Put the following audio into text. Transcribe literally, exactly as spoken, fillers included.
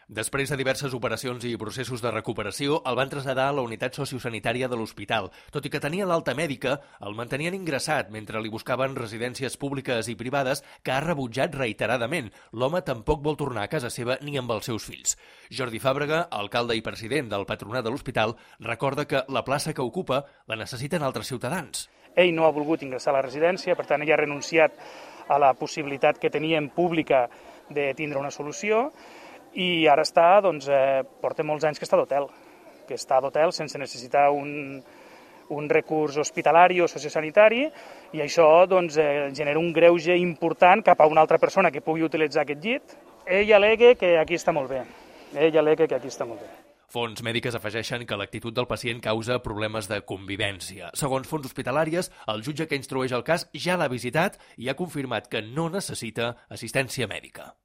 Després de diverses operacions i processos de recuperació, el van traslladar a la unitat sociosanitària de l'hospital. Tot i que tenia l'alta mèdica, el mantenien ingressat mentre li buscaven residències públiques i privades que ha rebutjat reiteradament. L'home tampoc vol tornar a casa seva ni amb els seus fills. Jordi Fàbrega, alcalde i president del patronat de l'hospital, recorda que la plaça que ocupa la necessiten altres ciutadans. Ell no ha volgut ingressar a la residència, per tant ell ha renunciat a la possibilitat que teníem pública de tindre una solució, i ara està, doncs, eh, porta molts anys que està d'hotel, que està d'hotel sense necessitar un, un recurs hospitalari o sociosanitari, i això doncs, eh, genera un greuge important cap a una altra persona que pugui utilitzar aquest llit. Ell al·lega que aquí està molt bé. Ell al·lega que aquí està molt bé. Fonts mèdiques afegeixen que l'actitud del pacient causa problemes de convivència. Segons fonts hospitalàries, el jutge que instrueix el cas ja l'ha visitat i ha confirmat que no necessita assistència mèdica.